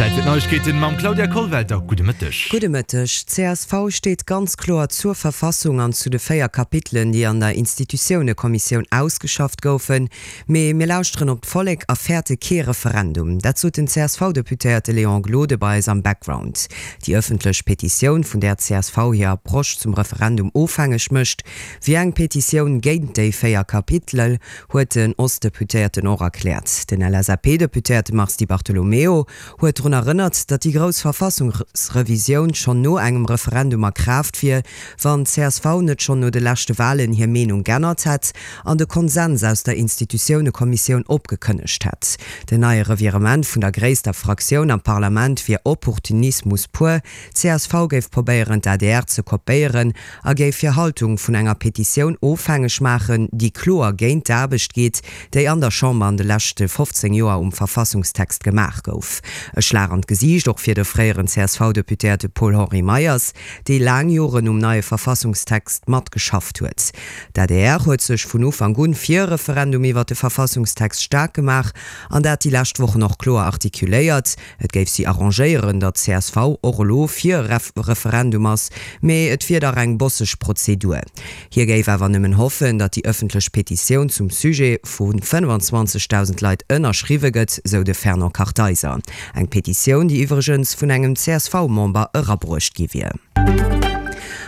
Zäit fir d'Neiegkeeten mam Claudia Kollwelter. Gudde Mëtteg. Gudde Mëtteg. D'CSV steet ganz kloer zur Verfassung an zu de 4 Kapitelen, déi an der Institutiounekommissioun ausgeschafft goufen. Mee mir lauschteren op d'Vollek a fäerte kee Referendum. Dat sot den CSV-Deputéierte Léon Gloden bei eis am Background. Déi ëffentlech Petitioun, vun där d'CSV hir Approche zum Referendum ofhängeg mécht, wier eng Petitioun géint déi 4 Kapitel, huet den Ostdeputéierten och erkläert. Den LSAP-Deputéierte Mars Di Bartolomeo huet drun erënnert, datt déi grouss Verfassungsrevisioun schonn no engem Referendum a Kraaft wier, wann d'CSV net schonn no de leschte Walen hir Meenung g'ännert hätt an de Konsens aus der Institutiounekommissioun opgekënnegt hätt. Den neie Revirement vun der gréisster Fraktioun am Parlament wier Opportunismus pur. D'CSV géif probéieren, d'ADR ze kopéieren a géif hir Haltung vun enger Petitioun ofhängeg maachen, déi kloer géint d'Aarbecht geet, déi an der Chamber an de leschte 15 Joer um Verfassungstext gemaach gouf. E Schlag an d'Gesiicht och fir de fréieren CSV-Deputéierte Paul-Henri Meyers, dee laang Joren um neie Verfassungstext matgeschafft huet. D'adr huet sech vun Ufank un fir e Referendum iwwer de Verfassungstext staark gemaach an dat déi lescht Wochen och kloer artikuléiert. Et géif si arrangéieren, datt csv och elo fir e Referendum ass, mee et wier dach eng bosseg Prozedur. Hie géif awer nëmmen hoffen, datt déi ëffentlech Petitioun zum Sujet vu 25.000 Leit ënnerschriwwe gëtt, sou de Fernand Kartheiser. Eng Petitioun, déi iwwregens vun engem CSV-Member erabruecht gi wier.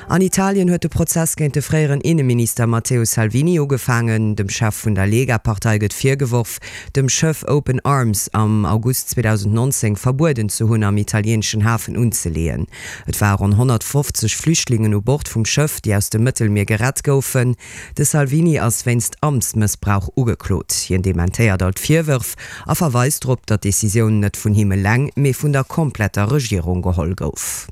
An Italien huet de Prozess géint de fréieren Inneminister Matteo Salvini ugefaangen. Dem Chef vun der Lega-Partei gëtt virgeworf, dem Schëff Open Arms am August 2019 verbueden ze hunn, am italieeneschen Hafen unzeleeën. Et ware ronn 150 Flüchtlingen u Bord vum Schëff, déi aus dem Mëttelmier gerett goufen. De Salvini ass wéinst Amtsmëssbrauch ugeklot. Hien dementéiert all d'Virwërf a verweist drop, datt d'Decisioun net vun him eleng, mee vun der kompletter Regierung geholl gouf.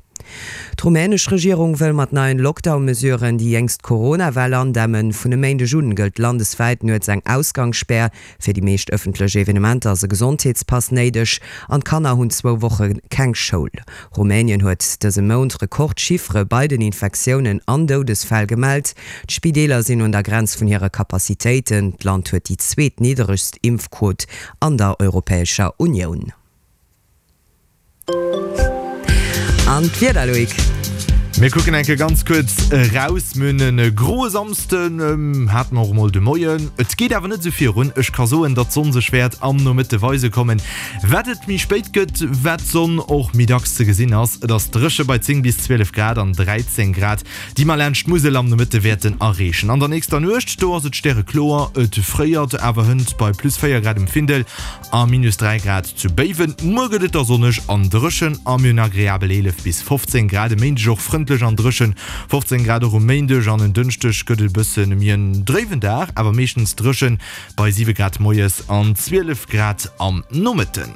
D'rumänesch Regierung wëll mat neien Lockdown-Mesuren déi jéngst Corona-Well andämmen. Vun e Méindeg un gëllt landeswäit nuets eng Ausgangsspär. Fir déi meescht ëffentlech Evenementer ass e Gesondheetspass néideg an d'Kanner hunn zwou Woche keng Schoul. Rumänien huet dëse Mount Rekordchiffere bei den Infektiounen an Doudesfäll gemellt. D'Spideeler sinn un der Grenz vun hire Capacitéiten. D'Land huet déi zweetnidderegst Impfquot an der Europäescher Unioun. An d'Wieder, Loïc? Mir kucken eng Kéier ganz kuerz eraus. Mir hunn e groe Samsden, hate mer och emol de Moien. Et geet awer net esou virun. Ech ka soen, datt d'Sonn sech wäert am Nomëtte weise kommen. Wat et méi spéit gëtt, wat d'Sonn och méi dacks ze gesinn ass. Et ass dréche bei 10 bis 12 Grad an 13 Grad, déi mer laanscht d'Musel am Nomëtte wäerten erreechen. An der nächster Nuecht, do ass et stärekloer, et fréiert awer hënt bei plus 4 Grad um Findel. A minus 3 Grad zu Béiwen. Muer gëtt et da sonneg an dréchen a mir hunn agreabel 11 bis 15 Grad. E Méindeg och frëndlech an dréchen, 15 Grad och um Méindeg an en Dënschdeg gëtt et e bësse méi en dréiwen Dag, awer meeschtens dréchen bei 7 Grad moies an 12 Grad am Nomëtten.